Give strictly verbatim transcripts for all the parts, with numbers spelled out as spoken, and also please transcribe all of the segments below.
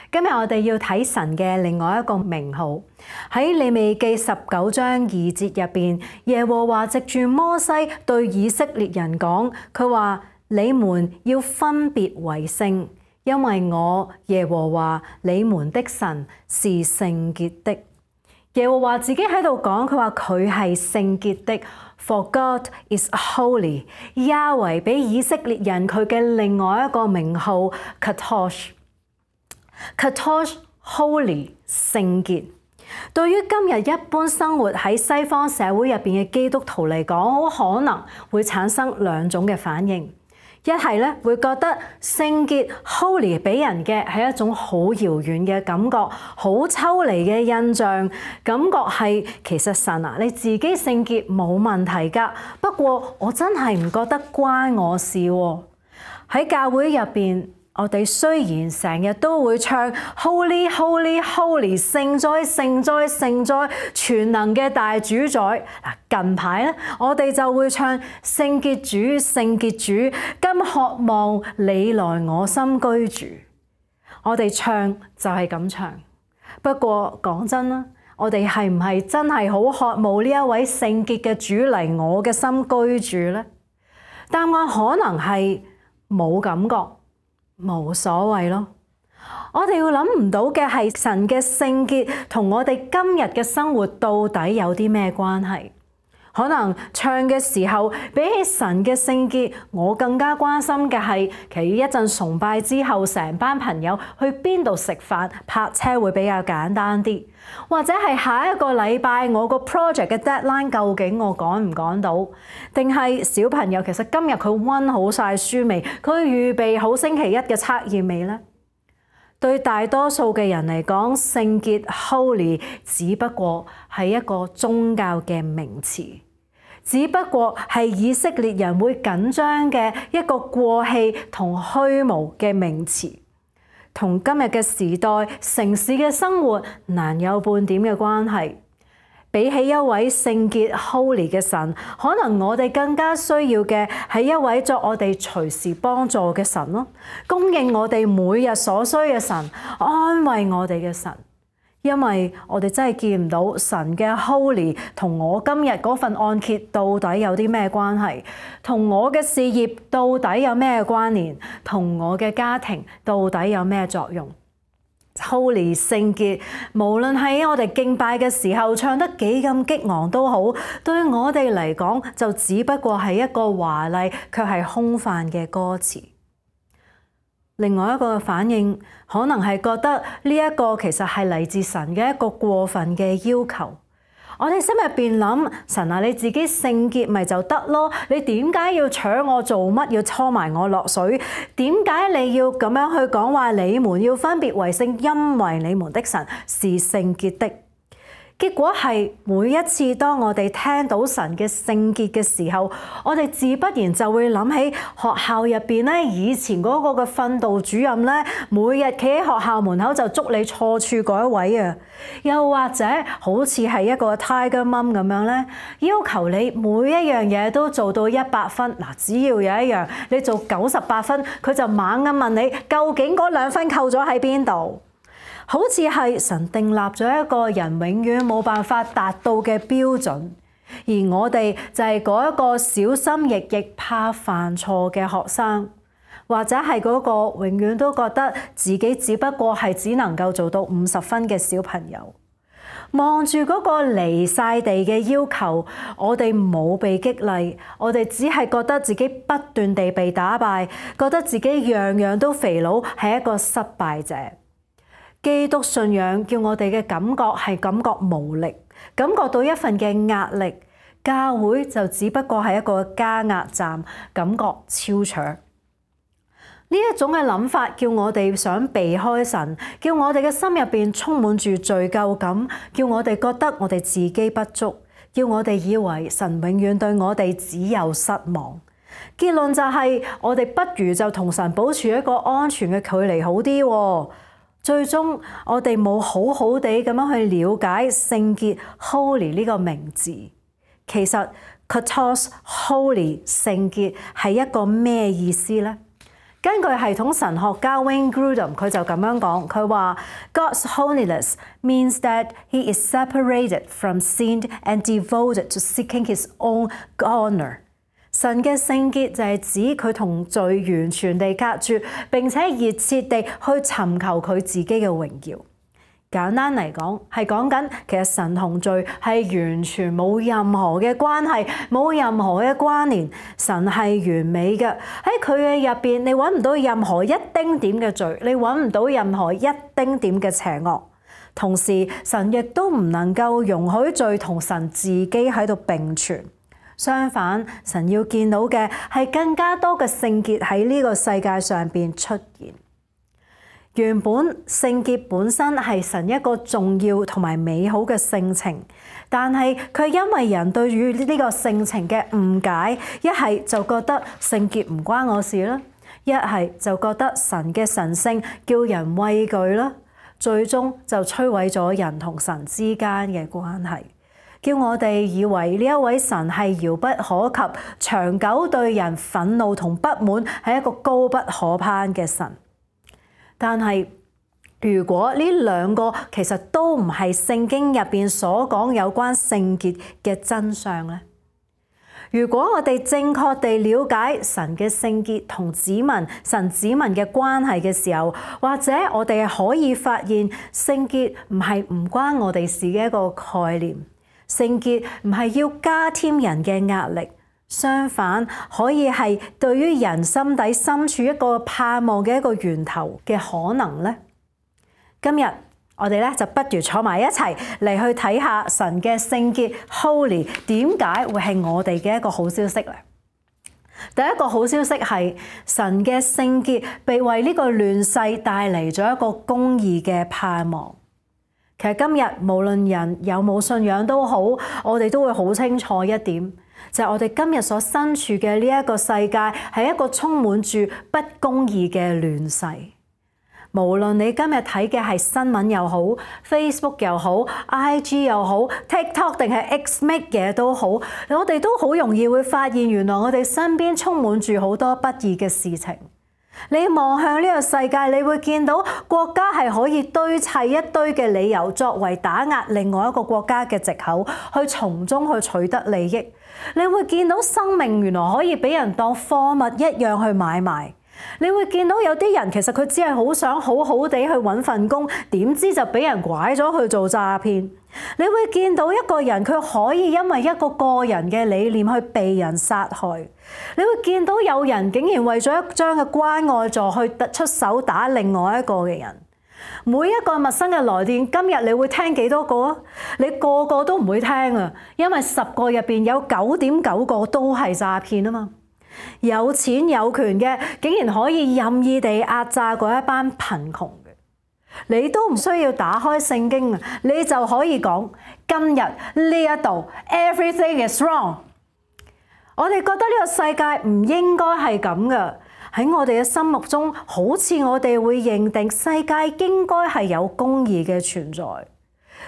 今日我哋要睇神嘅另外一個名號，喺利未記十九章二節入邊，耶和華藉住摩西對以色列人講，佢話：你們要分別為聖，因為我耶和華你們的神是聖潔的。耶和華自己喺度講，佢話佢係聖潔的 ，For God is holy。亞維俾以色列人佢嘅另外一個名號 Kadosh。Kadosh Holy 聖潔，對於今日一般生活喺西方社會入邊嘅基督徒嚟講，好可能會產生兩種嘅反應。一係咧會覺得聖潔 Holy 俾人嘅係一種好遙遠嘅感覺，好抽離嘅印象，感覺係其實神啊，你自己聖潔冇問題㗎，不過我真係唔覺得關我事喎。喺教會入邊，我哋雖然成日都會唱 Holy Holy Holy 聖哉聖哉聖哉全能嘅大主宰。嗱，近排咧我哋就會唱聖潔主聖潔主，今渴望你來我心居住。我哋唱就係咁唱，不過講真啦，我哋係唔係真係好渴慕呢一位聖潔嘅主嚟我嘅心居住呢？答案可能係冇感覺。冇所謂咯，我哋要諗唔到嘅係神嘅聖潔同我哋今日嘅生活到底有啲咩關係？可能唱嘅時候比起神嘅聖潔，我更加關心嘅係其實一陣崇拜之後，成班朋友去邊度食飯，泊車會比較簡單啲，或者係下一個禮拜我個 project 嘅 deadline 究竟我趕唔趕到？定係小朋友其實今日佢溫好晒書未？佢預備好星期一嘅測驗未呢？對大多數嘅人嚟講，聖潔 Holy 只不過係一個宗教嘅名詞，只不過係以色列人會緊張嘅一個過氣同虛無嘅名詞，同今日嘅時代城市嘅生活難有半點嘅關係。比起一位聖潔 Holy 嘅神，可能我哋更加需要嘅係一位作我哋隨時幫助嘅神咯，供應我哋每日所需嘅神，安慰我哋嘅神。因為我哋真係見唔到神嘅 Holy 同我今日嗰份按揭到底有啲咩關係，同我嘅事業到底有咩關聯，同我嘅家庭到底有咩作用。Holy 聖潔，無論喺我哋敬拜嘅時候唱得幾咁激昂都好，對我哋嚟講就只不過係一個華麗卻係空泛嘅歌詞。另外一個反應可能係覺得呢一個其實係嚟自神嘅一個過分嘅要求。我哋心入邊諗，神啊，你自己聖潔咪就得咯？你點解要搶我做乜？要拖埋我落水？點解你要咁樣去講話？你們要分別為聖，因為你們的神是聖潔的。結果係每一次當我哋聽到神嘅聖潔嘅時候，我哋自不然就會諗起學校入邊咧，以前嗰個嘅訓導主任咧，每日企喺學校門口就捉你錯處嗰一位啊。又或者好似係一個 Tiger Mum 咁樣咧，要求你每一樣嘢都做到一百分。嗱，只要有一樣你做九十八分，佢就猛咁問你究竟嗰兩分扣咗喺邊度？好似係神訂立咗一個人永遠冇辦法達到嘅標準，而我哋就係嗰一個小心翼翼怕犯錯嘅學生，或者係嗰個永遠都覺得自己只不過係只能夠做到五十分嘅小朋友。望住嗰個離晒地嘅要求，我哋冇被激勵，我哋只係覺得自己不斷地被打敗，覺得自己樣樣都肥佬，係一個失敗者。基督信仰叫我哋嘅感覺係感覺無力，感覺到一份嘅壓力，教會就只不過係一個加壓站，感覺超長。呢一種嘅諗法叫我哋想避開神，叫我哋嘅心入邊充滿住罪疚感，叫我哋覺得我哋自己不足，叫我哋以為神永遠對我哋只有失望。結論就係我哋不如就同神保持一個安全嘅距離好啲喎。最終我哋冇好好地咁樣去了解聖潔 Holy 呢個名字。其實 Kadosh Holy 聖潔係一個咩意思呢？根據系統神學家 Wayne Grudem， 佢就咁樣講，佢話 God's holiness means that he is separated from sin and devoted to seeking his own honor。神嘅聖潔就係指佢同罪完全地隔絕，並且熱切地去尋求佢自己嘅榮耀。簡單嚟講，係講緊其實神同罪係完全冇任何嘅關係，冇任何嘅關聯。神係完美嘅，喺佢嘅入邊，你揾唔到任何一丁點嘅罪，你揾唔到任何一丁點嘅邪惡。同時，神亦都唔能夠容許罪同神自己喺度並存。相反，神要見到嘅係更加多嘅聖潔喺呢個世界上邊出現。原本聖潔本身係神一個重要同埋美好嘅性情，但係佢因為人對於呢個性情嘅誤解，一係就覺得聖潔唔關我事啦，一係就覺得神嘅神聖叫人畏懼啦，最終就摧毀咗人同神之間嘅關係，叫我哋以為呢一位神係遙不可及，長久對人憤怒同不滿，係一個高不可攀嘅神。但係，如果呢兩個其實都唔係聖經入邊所講有關聖潔嘅真相咧，如果我哋正確地了解神嘅聖潔同子民、神子民嘅關係嘅時候，或者我哋可以發現聖潔唔係唔關我哋事嘅一個概念，聖潔唔係要加添人嘅壓力。相反，可以係對於人心底深處一個盼望嘅一個源頭嘅可能咧。今日我哋咧就不如坐埋一齊嚟去睇下神嘅聖潔 Holy 點解會係我哋嘅一個好消息咧。第一個好消息係神嘅聖潔被為呢個亂世帶嚟咗一個公義嘅盼望。其實今日無論人有冇信仰都好，我哋都會好清楚一點。就係我哋今日所身處嘅呢一個世界，係一個充滿住不公義嘅亂世。無論你今日睇嘅係新聞又好、Facebook 又好、I G 又好、TikTok 定係 X 乜嘢都好，我哋都好容易會發現，原來我哋身邊充滿住好多不義嘅事情。你望向呢個世界，你會見到國家係可以堆砌一堆嘅理由，作為打壓另外一個國家嘅藉口，去從中去取得利益。你會見到生命原來可以俾人當貨物一樣去買賣。你會見到有啲人其實佢只係好想好好地去揾份工，點知就俾人拐咗去做詐騙。你會見到一個人佢可以因為一個個人嘅理念去被人殺害。你會見到有人竟然為咗一張嘅關愛座去出手打另外一個嘅人。每一個陌生嘅來電，今日你會聽幾多個啊？你個個都唔會聽啊，因為十個入邊有九點九個都係詐騙啊嘛。有錢有權嘅，竟然可以任意地壓榨嗰一班貧窮嘅，你都唔需要打開聖經啊，你就可以講今日呢一度 everything is wrong。我哋覺得呢個世界唔應該係咁噶，喺我哋嘅心目中，好似我哋會認定世界應該係有公義嘅存在。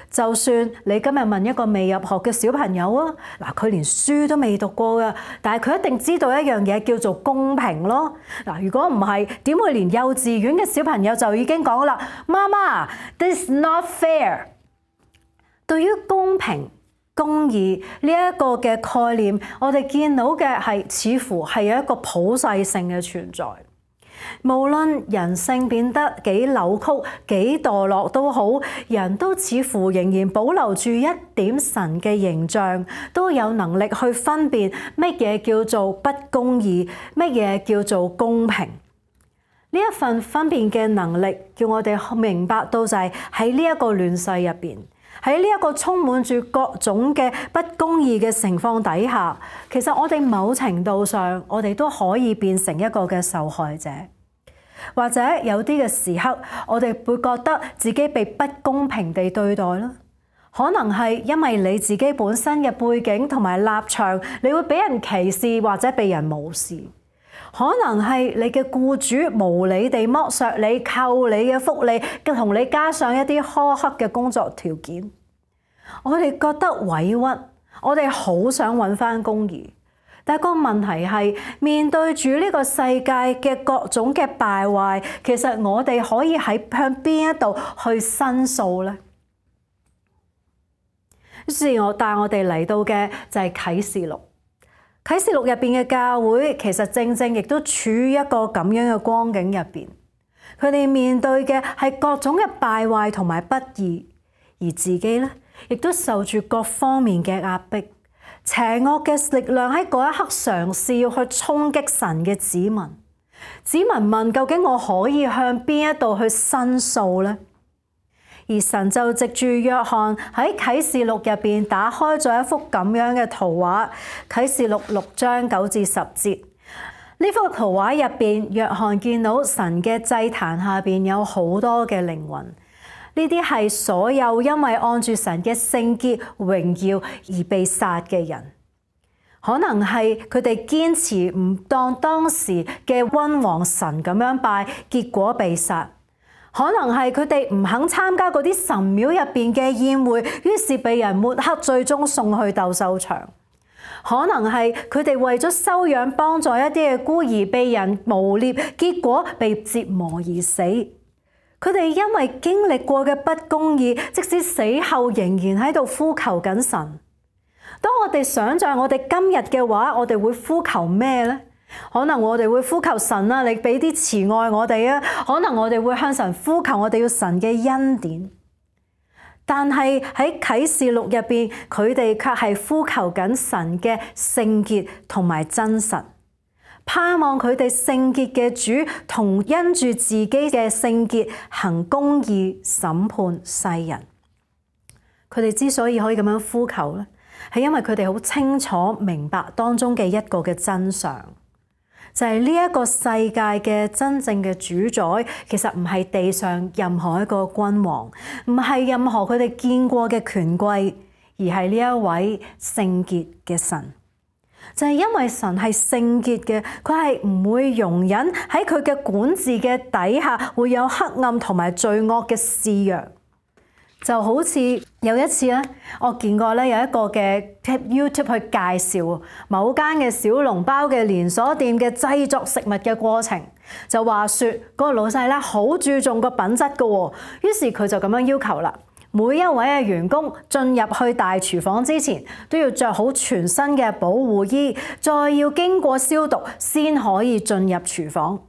就算你今日問一個未入學嘅小朋友啊，嗱，佢連書都未讀過噶，但係佢一定知道一樣嘢叫做公平咯。嗱，如果唔係，點會連幼稚園嘅小朋友就已經講啦，媽媽 ，this is not fair。對於公平、公義呢一個嘅概念，我哋見到嘅係似乎係有一個普世性嘅存在。無論人性變得幾扭曲、幾墮落都好，人都似乎仍然保留住一點神嘅形象，都有能力去分辨乜嘢叫做不公義，乜嘢叫做公平。呢一份分辨嘅能力，叫我哋明白到就係喺呢一個亂世入邊，喺呢一個充滿住各種嘅不公義嘅情況底下，其實我哋某程度上，我哋都可以變成一個嘅受害者。或者有啲嘅時刻，我哋會覺得自己被不公平地對待啦。可能係因為你自己本身嘅背景同埋立場，你會俾人歧視或者被人無視。可能係你嘅僱主無理地剝削你、扣你嘅福利，同你加上一啲苛刻嘅工作條件。我哋覺得委屈，我哋好想揾返公義。但係個問題係，面對住呢個世界嘅各種嘅敗壞，其實我哋可以喺向邊一度去申訴呢？於是我帶我哋嚟到嘅就係啟示錄。啟示錄入邊嘅教會其實正正亦都處於一個咁樣嘅光景入邊，佢哋面對嘅係各種嘅敗壞同埋不義，而自己咧亦都受住各方面嘅壓迫。邪惡嘅力量喺嗰一刻嘗試要去衝擊神嘅子民，子民問究竟我可以向邊一度去申訴呢？而神就藉住約翰喺啟示錄入邊打開咗一幅咁樣嘅圖畫，啟示錄六章九至十節。呢幅圖畫入邊，約翰見到神嘅祭壇下邊有好多嘅靈魂，呢啲係所有因為按住神嘅聖潔榮耀而被殺嘅人，可能係佢哋堅持唔當當時嘅君王神咁樣拜，結果被殺。可能係佢哋唔肯參加嗰啲神廟入邊嘅宴會，於是被人抹黑，最終送去鬥獸場。可能係佢哋為咗收養幫助一啲嘅孤兒，被人誣衊，結果被折磨而死。佢哋因為經歷過嘅不公義，即使死後仍然喺度呼求緊神。當我哋想象我哋今日嘅話，我哋會呼求咩呢？可能我哋會呼求神啊，你俾啲慈愛我哋啊。可能我哋會向神呼求，我哋要神嘅恩典。但係喺啟示錄入邊，佢哋卻係呼求緊神嘅聖潔同埋真實，盼望佢哋聖潔嘅主同因住自己嘅聖潔行公義審判世人。佢哋之所以可以咁樣呼求咧，係因為佢哋好清楚明白當中嘅一個嘅真相。就係呢一個世界嘅真正嘅主宰，其實唔係地上任何一個君王，唔係任何佢哋見過嘅權貴，而係呢一位聖潔嘅神。就係因為神係聖潔嘅，佢係唔會容忍喺佢嘅管治嘅底下會有黑暗同埋罪惡嘅肆虐。就好似有一次咧，我見過咧有一個嘅 YouTube 去介紹某間嘅小籠包嘅連鎖店嘅製作食物嘅過程，就話說嗰個老細咧好注重個品質㗎喎，於是佢就咁樣要求啦，每一位嘅員工進入去大廚房之前都要着好全身嘅保護衣，再要經過消毒先可以進入廚房。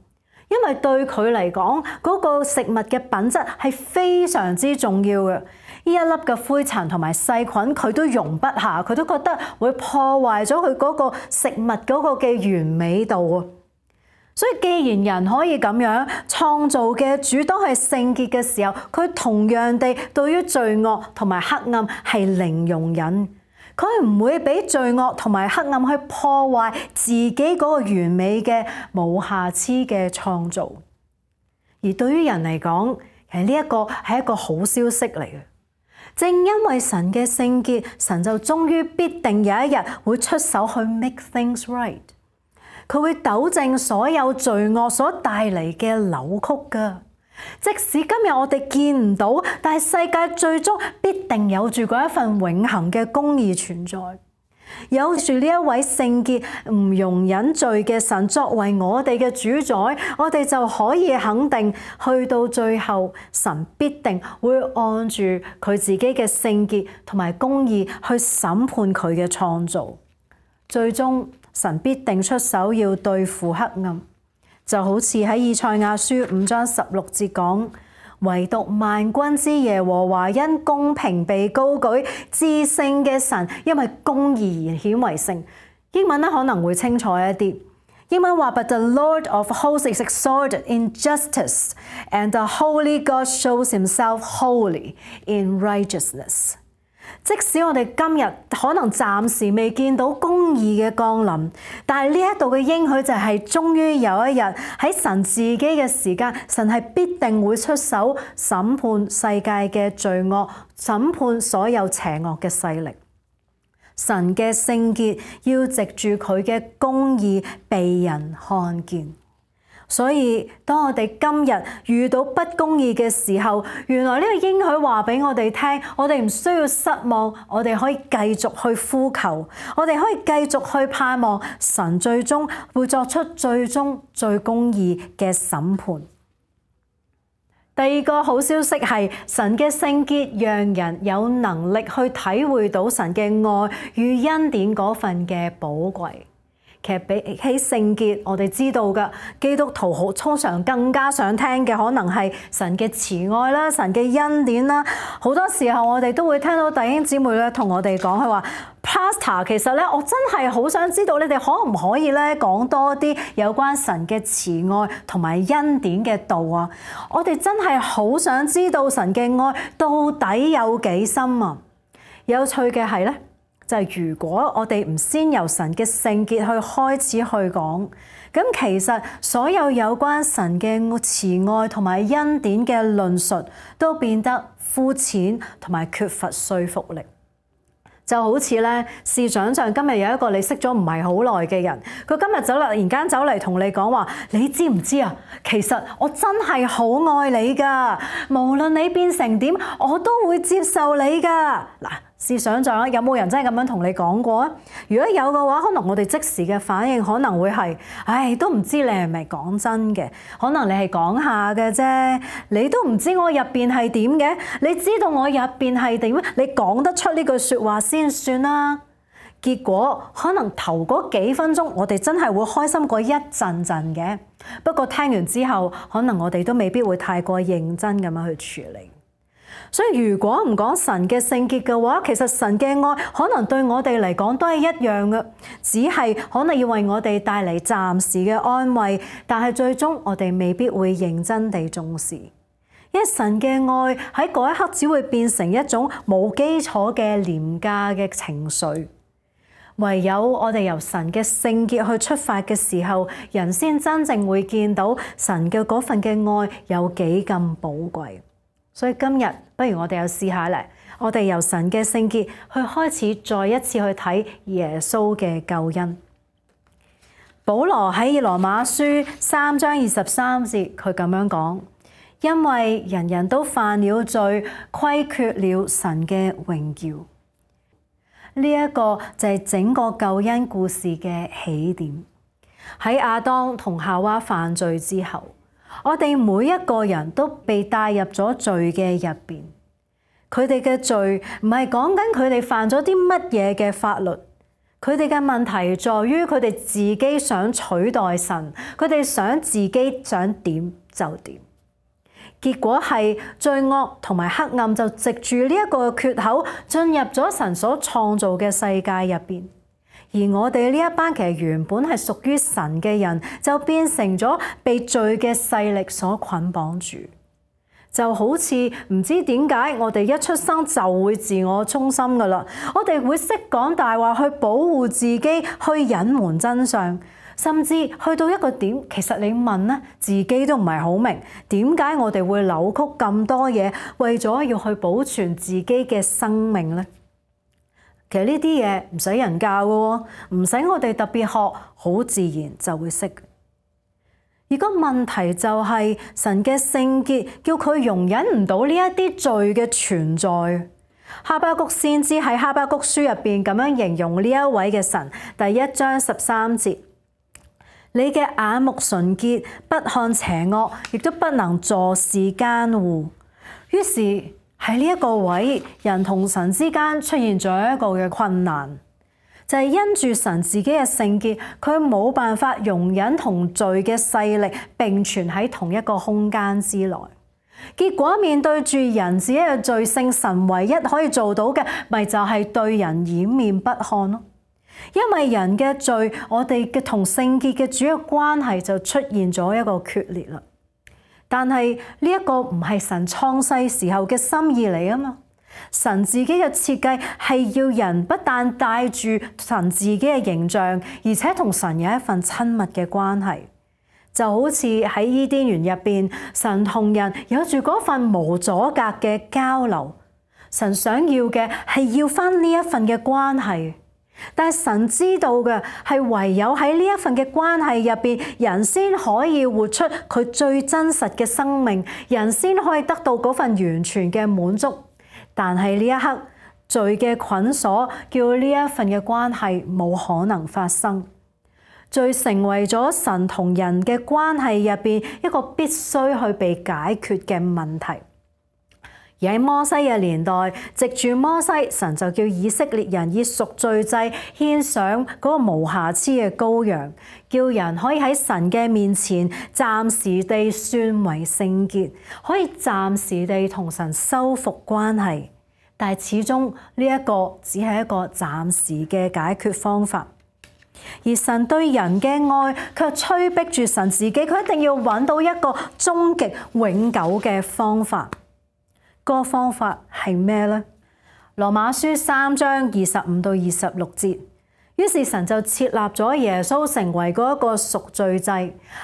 因為對佢嚟講，嗰個食物嘅品質係非常之重要嘅。呢一粒嘅灰塵同埋細菌，佢都容不下，佢都覺得會破壞咗佢嗰個食物嗰個嘅完美度啊。所以既然人可以咁樣創造嘅主都係聖潔嘅時候，佢同樣地對於罪惡同埋黑暗係零容忍。佢唔會俾罪惡同埋黑暗去破壞自己嗰個完美嘅無瑕疵嘅創造。而對於人嚟講，其實呢一個係一個好消息嚟嘅。正因為神嘅聖潔，神就終於必定有一日會出手去 make things right。佢會糾正所有罪惡所帶嚟嘅扭曲㗎。即使今日我哋見唔到，但係世界最終必定有住嗰一份永恆嘅公義存在，有住呢一位聖潔唔容忍罪嘅神作為我哋嘅主宰，我哋就可以肯定，去到最後，神必定會按住佢自己嘅聖潔同埋公義去審判佢嘅創造，最終神必定出手要對付黑暗。就好似喺以賽亞書五章十六節講，唯獨萬軍之耶和華因公平被高舉，至聖嘅神因為公義而顯為聖。英文咧可能會清楚一啲，英文話 But the Lord of hosts is exalted in justice, and the holy God shows himself holy in righteousness。即使我哋今日可能暫時未見到公義嘅降臨，但係呢一度嘅應許就係終於有一日喺神自己嘅時間，神係必定會出手審判世界嘅罪惡，審判所有邪惡嘅勢力。神嘅聖潔要藉住佢嘅公義被人看見。所以當我哋今日遇到不公義嘅時候，原來呢個應許話俾我哋聽，我哋唔需要失望，我哋可以繼續去呼求，我哋可以繼續去盼望神最終會作出最終最公義嘅審判。第二個好消息係神嘅聖潔，讓人有能力去體會到神嘅愛與恩典嗰份嘅寶貴。其實比起聖潔，我哋知道嘅基督徒好通常更加想聽嘅，可能係神嘅慈愛啦、神嘅恩典啦。好多時候我哋都會聽到弟兄姊妹咧同我哋講，佢話 Pastor， 其實咧我真係好想知道你哋可唔可以咧講多啲有關神嘅慈愛同埋恩典嘅道啊！我哋真係好想知道神嘅愛到底有幾深啊！有趣嘅係咧，就係如果我哋唔先由神嘅聖潔去開始去講，咁其實所有有關神嘅慈愛同埋恩典嘅論述都變得膚淺同埋缺乏說服力。就好似咧，試想像今日有一個你識咗唔係好耐嘅人，佢今日走嚟，突然間走嚟同你講話，你知唔知啊？其實我真係好愛你㗎，無論你變成點，我都會接受你㗎。嗱，試想像有冇人真係咁樣同你講過啊？如果有嘅話，可能我哋即時嘅反應可能會係，唉，都唔知你係咪講真嘅，可能你係講下嘅啫，你都唔知我入邊係點嘅，你知道我入邊係點，你講得出呢句説話先算啦。結果可能頭嗰幾分鐘，我哋真係會開心過一陣陣嘅，不過聽完之後，可能我哋都未必會太過認真咁樣去處理。所以如果唔講神嘅聖潔嘅話，其實神嘅愛可能對我哋嚟講都係一樣嘅，只係可能要為我哋帶嚟暫時嘅安慰，但係最終我哋未必會認真地重視，因為神嘅愛喺嗰一刻只會變成一種冇基礎嘅廉價嘅情緒。唯有我哋由神嘅聖潔去出發嘅時候，人先真正會見到神嘅嗰份嘅愛有幾咁寶貴。所以今日不如我哋又試下咧，我哋由神嘅聖潔去開始，再一次去睇耶穌嘅救恩。保羅喺羅馬書三章二十三節，佢咁樣講：因為人人都犯了罪，虧缺了神嘅榮耀。呢、這、一個就係整個救恩故事嘅起點。喺亞當同夏娃犯罪之後，我哋每一個人都被帶入咗罪嘅入邊。佢哋嘅罪唔係講緊佢哋犯咗啲乜嘢嘅法律，佢哋嘅問題在於佢哋自己想取代神，佢哋想自己想點就點。結果係罪惡同埋黑暗就藉住呢一個缺口進入咗神所創造嘅世界入邊。而我哋呢一班其實原本係屬於神嘅人，就變成咗被罪嘅勢力所捆綁住，就好似唔知點解我哋一出生就會自我中心噶啦，我哋會識講大話去保護自己，去隱瞞真相，甚至去到一個點，其實你問咧，自己都唔係好明點解我哋會扭曲咁多嘢，為咗要去保存自己嘅生命咧。其實呢啲嘢唔使人教嘅喎，唔使我哋特別學，好自然就會識。而個問題就係神嘅聖潔叫佢容忍唔到呢一啲罪嘅存在。哈巴谷先知喺哈巴谷書入邊咁樣形容呢一位嘅神，第一章十三節：你嘅眼目純潔，不看邪惡，亦都不能坐視奸惡。於是喺呢一個位，人同神之間出現咗一個嘅困難，就係因住神自己嘅聖潔，佢冇辦法容忍同罪嘅勢力並存喺同一個空間之內。結果面對住人自己嘅罪性，神唯一可以做到嘅，咪就係對人掩面不看咯。因為人嘅罪，我哋嘅同聖潔嘅主要關係就出現咗一個決裂啦。但係呢一個唔係神創世時候嘅心意嚟啊嘛！神自己嘅設計係要人不但帶住神自己嘅形象，而且同神有一份親密嘅關係。就好似喺伊甸園入邊，神同人有住嗰份無阻隔嘅交流。神想要嘅係要返呢一份嘅關係。但係神知道嘅係唯有喺呢一份嘅關係入邊，人先可以活出佢最真實嘅生命，人先可以得到嗰份完全嘅滿足。但係呢一刻，罪嘅捆鎖叫呢一份嘅關係冇可能發生。罪成為咗神同人嘅關係入邊一個必須去被解決嘅問題。而喺摩西嘅年代，藉住摩西，神就叫以色列人以贖罪祭獻上嗰個無瑕疵嘅羔羊，叫人可以喺神嘅面前暫時地算為聖潔，可以暫時地同神修復關係。但係始終呢一個只係一個暫時嘅解決方法。而神對人嘅愛卻催逼住神自己，佢一定要揾到一個終極永久嘅方法。嗰個方法係咩呢？羅馬書三章二十五到二十六節，於是神就設立咗耶穌成為嗰一個贖罪祭，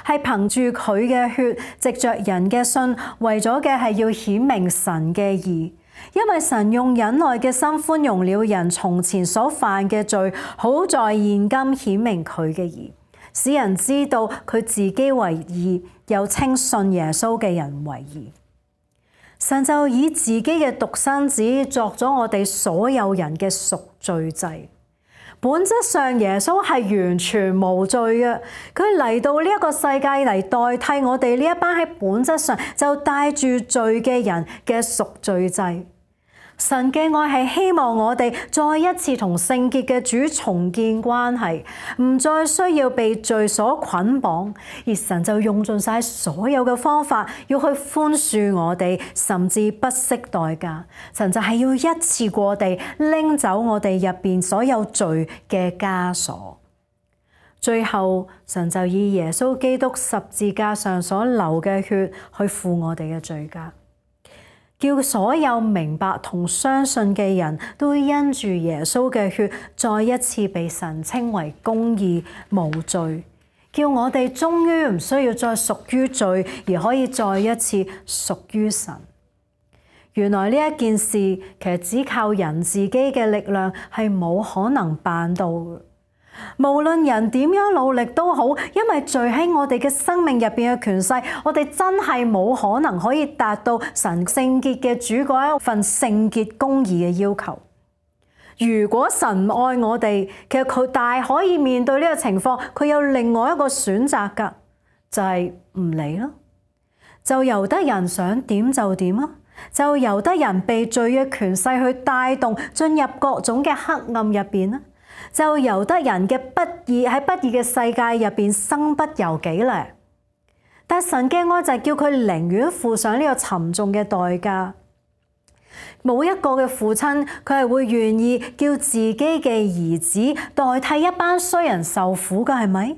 係憑住佢嘅血，藉着人嘅信，為咗嘅係要顯明神嘅義。因為神用忍耐嘅心寬容了人從前所犯嘅罪，好在現今顯明佢嘅義，使人知道佢自己為義，又稱信耶穌嘅人為義。神就以自己嘅獨生子作咗我哋所有人嘅贖罪祭。本質上耶穌係完全無罪嘅，佢嚟到呢一個世界嚟代替我哋呢一班喺本質上就帶住罪嘅人嘅贖罪祭。神嘅愛係希望我哋再一次同聖潔嘅主重建關係，唔再需要被罪所捆綁，而神就用盡晒所有嘅方法要去寬恕我哋，甚至不惜代價。神就係要一次過地拎走我哋入邊所有罪嘅枷鎖。最後，神就以耶穌基督十字架上所流嘅血去付我哋嘅罪價，叫所有明白同相信嘅人都因住耶穌嘅血，再一次被神稱為公義無罪，叫我哋終於唔需要再屬於罪，而可以再一次屬於神。原來呢一件事其實只靠人自己嘅力量係冇可能辦到嘅。無論人點樣努力都好，因為罪喺我哋嘅生命入邊嘅權勢，我哋真係冇可能可以達到神聖潔嘅主嗰一份聖潔公義嘅要求。如果神唔愛我哋，其實佢大可以面對呢個情況，佢有另外一個選擇噶，就係唔理咯，就由得人想點就點啊，就由得人被罪嘅權勢去帶動，進入各種嘅黑暗入邊啦。就由得人嘅不義喺不義嘅世界入邊身不由己咧。但神嘅愛就係叫佢寧願付上呢個沉重嘅代價。冇一個嘅父親佢係會願意叫自己嘅兒子代替一班衰人受苦㗎，係咪？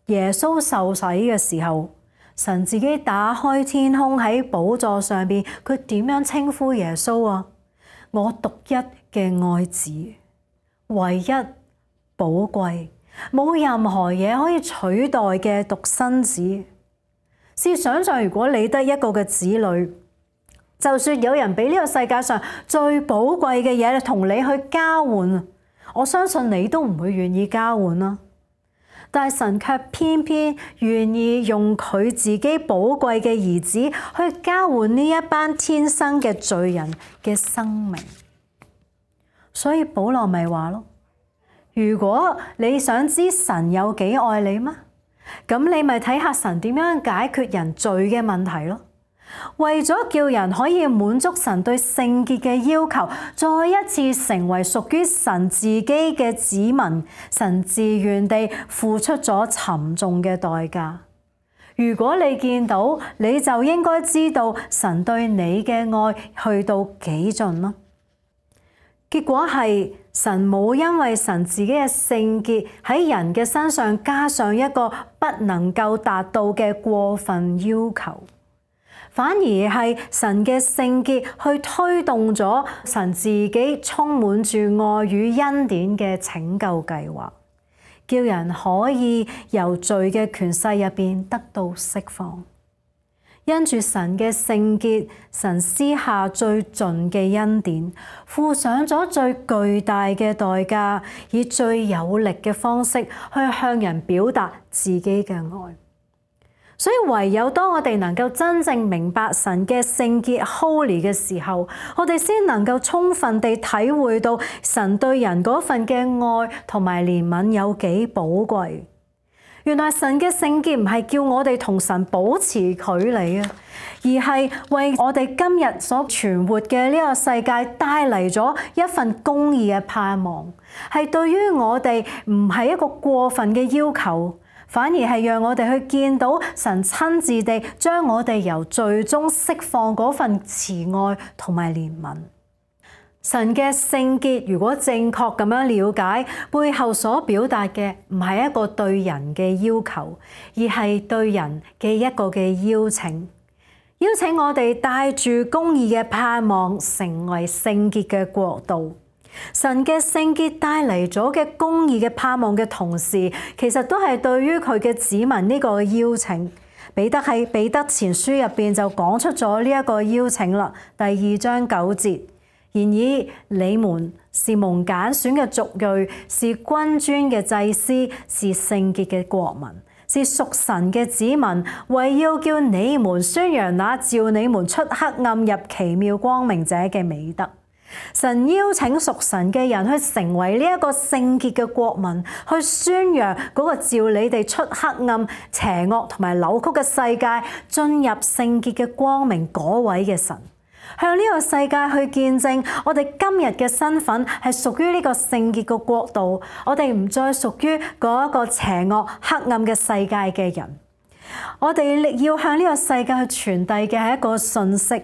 耶穌受洗嘅時候，神自己打開天空喺寶座上邊，佢點樣稱呼耶穌啊？我獨一嘅愛子。唯一寶貴，冇任何嘢可以取代嘅獨生子。試想像，如果你得一個嘅子女，就算有人俾呢個世界上最寶貴嘅嘢同你去交換，我相信你都唔會願意交換啦。但係神卻偏偏願意用佢自己寶貴嘅兒子去交換呢一班天生嘅罪人嘅生命。所以保羅咪話咯，如果你想知神有幾愛你嗎？咁你咪睇下神點樣解決人罪嘅問題咯。為咗叫人可以滿足神對聖潔嘅要求，再一次成為屬於神自己嘅子民，神自願地付出咗沉重嘅代價。如果你見到，你就應該知道神對你嘅愛去到幾盡咯。結果係神冇因為神自己嘅聖潔喺人嘅身上加上一個不能夠達到嘅過分要求，反而係神嘅聖潔去推動咗神自己充滿住愛與恩典嘅拯救計劃，叫人可以由罪嘅權勢入邊得到釋放。因住神嘅聖潔，神施下最盡嘅恩典，付上咗最巨大嘅代價，以最有力嘅方式去向人表達自己嘅愛。所以唯有當我哋能夠真正明白神嘅聖潔 holy 嘅時候，我哋先能夠充分地體會到神對人嗰份嘅愛同埋憐憫有幾寶貴。原來神嘅聖潔唔係叫我哋同神保持距離啊，而係為我哋今日所存活嘅呢個世界帶嚟咗一份公義嘅盼望，係對於我哋唔係一個過分嘅要求，反而係讓我哋去見到神親自地將我哋由罪中釋放嗰份慈愛同埋憐憫。神嘅聖潔如果正確咁樣了解，背後所表達嘅唔係一個對人嘅要求，而係對人嘅一個嘅邀請，邀請我哋帶住公義嘅盼望，成為聖潔嘅國度。神嘅聖潔帶嚟咗嘅公義嘅盼望嘅同時，其實都係對於佢嘅子民呢個邀請。彼得喺彼得前書入邊就講出咗呢一個邀請啦，第二章九節。然而你們是蒙揀選嘅族裔，是君尊嘅祭司，是聖潔嘅國民，是屬神嘅子民，為要叫你們宣揚那召你們出黑暗入奇妙光明者嘅美德。神邀請屬神嘅人去成為呢一個聖潔嘅國民，去宣揚嗰個召你哋出黑暗、邪惡同埋扭曲嘅世界，進入聖潔嘅光明嗰位嘅神。向呢個世界去見證，我哋今日嘅身份係屬於呢個聖潔嘅國度，我哋唔再屬於嗰一個邪惡黑暗嘅世界嘅人。我哋要向呢個世界去傳遞嘅係一個訊息，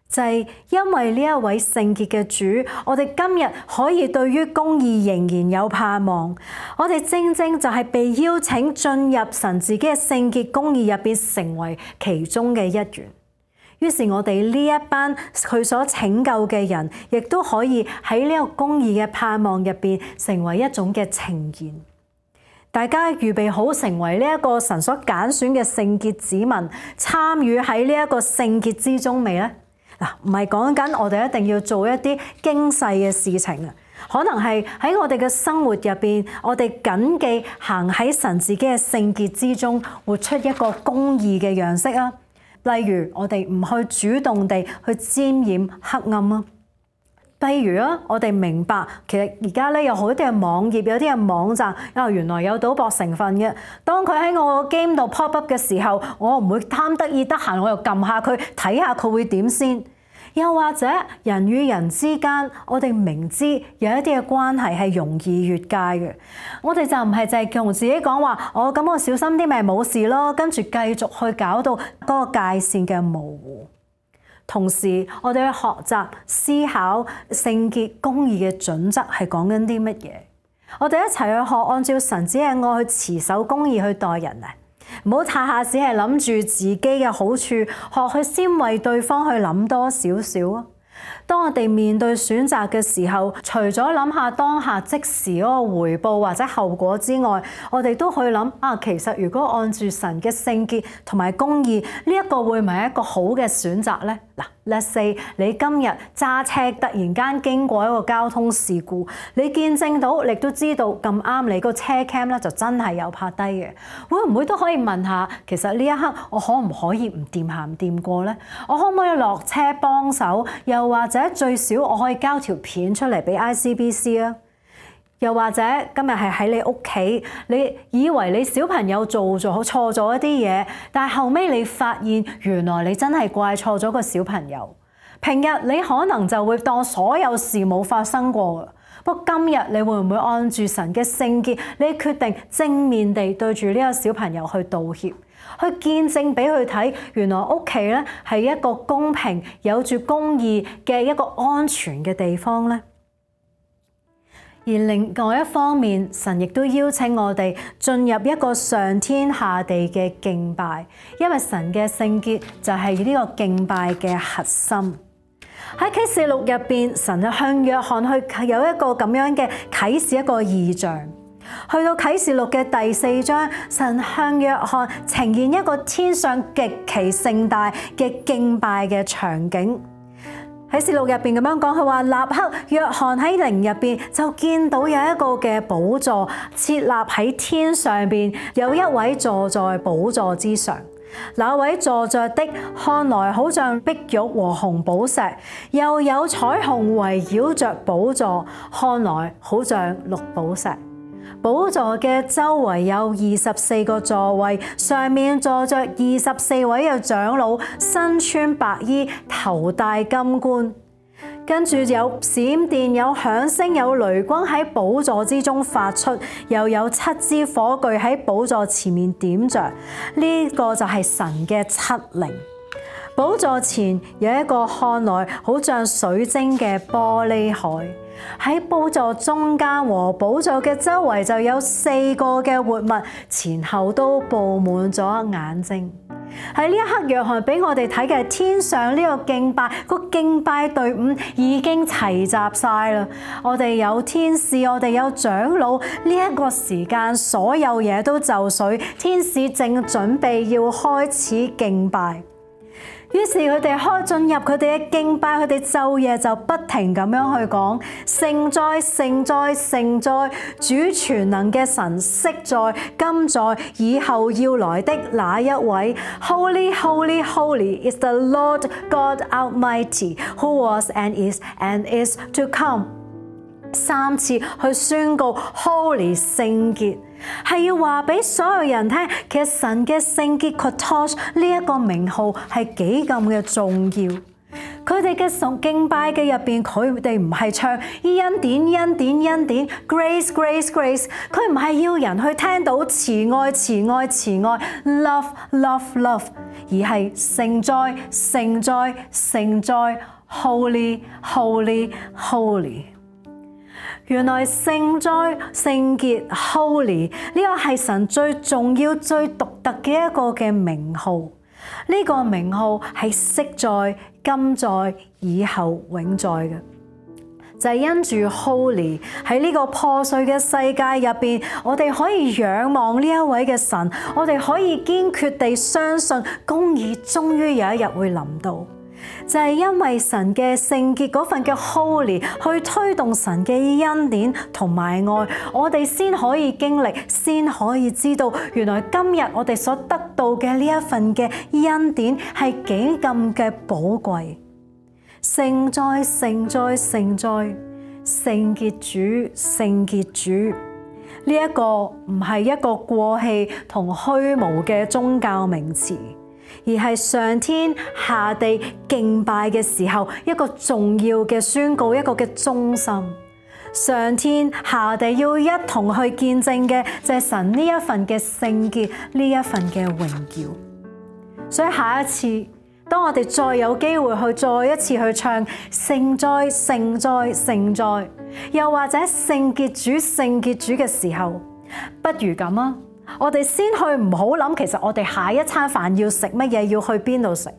就係因為呢一位聖潔嘅主，我哋今日可以對於公義仍然有盼望。我哋正正就係被邀請進入神自己嘅聖潔公義入邊，成為其中嘅一員。於是我哋呢一班佢所拯救嘅人，亦都可以喺呢個公義嘅盼望入邊成為一種嘅呈現。大家預備好成為呢一個神所揀選嘅聖潔子民，參與喺呢一個聖潔之中未呢？嗱，唔係講緊我哋一定要做一啲驚世嘅事情啊，可能係喺我哋嘅生活入邊，我哋謹記行喺神自己嘅聖潔之中，活出一個公義嘅樣式啊。例如我哋唔去主動地去沾染黑暗啊。例如啊，我哋明白其實而家咧有好多嘅網頁，有啲嘅網站啊，原來有賭博成分嘅。當佢喺我個 game 度 pop up 嘅時候，我唔會貪得意得閒，我又撳下佢睇下佢會點先。又或者人與人之間，我哋明知有一啲嘅關係係容易越界嘅，我哋就唔係淨係同自己講話，我咁我小心啲咪冇事咯，跟住繼續去搞到嗰個界線嘅模糊。同時，我哋去學習思考聖潔公義嘅準則係講緊啲乜嘢？我哋一齊去學按照神子嘅愛去持守公義去待人啊！唔好下下只係諗住自己嘅好處，學去先為對方去諗多少少啊！當我哋面對選擇嘅時候，除咗諗下當下即時嗰個回報或者後果之外，我哋都去諗啊，其實如果按住神嘅聖潔同埋公義，呢一個會唔係一個好嘅選擇呢？嗱，let's say 你今日揸車突然間經過一個交通事故，你見證到，你都知道咁啱你個車 cam 咧就真係有拍低嘅，會唔會都可以問下，其實呢一刻我可唔可以唔掂行唔掂過呢？我可唔可以落車幫手？又或者最少我可以交條片出嚟俾 I C B C 啊？又或者今日係喺你屋企，你以為你小朋友做咗錯咗一啲嘢，但係後尾你發現原來你真係怪錯咗個小朋友。平日你可能就會當所有事冇發生過，不過今日你會唔會按住神嘅聖潔，你決定正面地對住呢個小朋友去道歉，去見證俾佢睇，原來屋企咧係一個公平、有住公義嘅一個安全嘅地方咧。而另外一方面，神亦都邀請我哋進入一個上天下地嘅敬拜，因為神嘅聖潔就係呢個敬拜嘅核心。喺啟示錄入邊，神就向約翰去有一個咁樣嘅啟示，一個異象。去到啟示錄嘅第四章，神向約翰呈現一個天上極其盛大嘅敬拜嘅場景。喺啟示錄入邊咁樣講，佢話立刻約翰喺靈入邊就見到有一個嘅寶座設立喺天上邊，有一位坐在寶座之上。那位坐着的看來好像碧玉和紅寶石，又有彩虹圍繞着寶座，看來好像綠寶石。寶座嘅周圍有二十四個座位，上面坐着二十四位嘅長老，身穿白衣，頭戴金冠。跟住有閃電、有響聲、有雷轟喺寶座之中發出，又有七支火炬喺寶座前面點着。呢、這個就係神嘅七靈。寶座前有一個看來好像水晶嘅玻璃海。喺寶座中間和寶座嘅周圍就有四個嘅活物，前後都布滿咗眼睛。喺呢一刻，約翰俾我哋睇嘅係天上呢個敬拜，個敬拜隊伍已經齊集晒啦。我哋有天使，我哋有長老，呢一個時間所有嘢都就緒，天使正準備要開始敬拜。於是佢哋開進入佢哋嘅敬拜，佢哋晝夜就不停咁樣去講：聖哉、聖哉、聖哉，主全能嘅神昔在、今在、以後要來的那一位。Holy, holy, holy is the Lord God Almighty, who was and is and is to come。三次去宣告 Holy 聖潔，係要話俾所有人聽，其實神嘅聖潔 Kadosh 呢一個名號係幾咁嘅重要。佢哋嘅敬拜嘅入邊，佢哋唔係唱恩典恩典恩典 Grace Grace Grace， 佢唔係要人去聽到慈愛慈愛慈愛 Love Love Love， 而係聖哉聖哉聖哉 Holy Holy Holy。原來聖哉、聖潔 Holy 呢個係神最重要、最獨特嘅一個嘅名號。呢、這個名號係昔在、今在、以後永在嘅，就係、是、因住 Holy 喺呢個破碎嘅世界入邊，我哋可以仰望呢一位嘅神，我哋可以堅決地相信公義終於有一日會臨到。就係因為神嘅聖潔嗰份嘅 Holy 去推動神嘅恩典同埋愛，我哋先可以經歷，先可以知道原來今日我哋所得到嘅呢一份嘅恩典係幾咁嘅寶貴。聖哉聖哉聖哉，聖潔主聖潔主，呢一個唔係一個過氣同虛無嘅宗教名詞，而係上天下地敬拜嘅時候一個重要嘅宣告，一個嘅中心。上天下地要一同去見證嘅就係神呢一份嘅聖潔，呢一份嘅榮耀。所以下一次當我哋再有機會去再一次去唱聖哉聖哉聖哉，又或者聖潔主聖潔主嘅時候，不如咁啊！我哋先去唔好諗，其實我哋下一餐飯要食乜嘢，要去邊度食。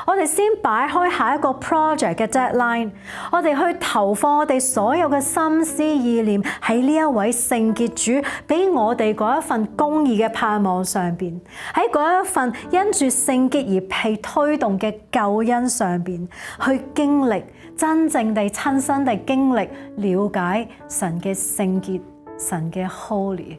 我哋先擺開下一個 project 嘅 deadline， 我哋去投放我哋所有嘅心思意念喺呢一位聖潔主俾我哋嗰一份公義嘅盼望上邊，喺嗰一份因住聖潔而被推動嘅救恩上邊，去經歷真正地親身地經歷了解神嘅聖潔，神嘅 holy。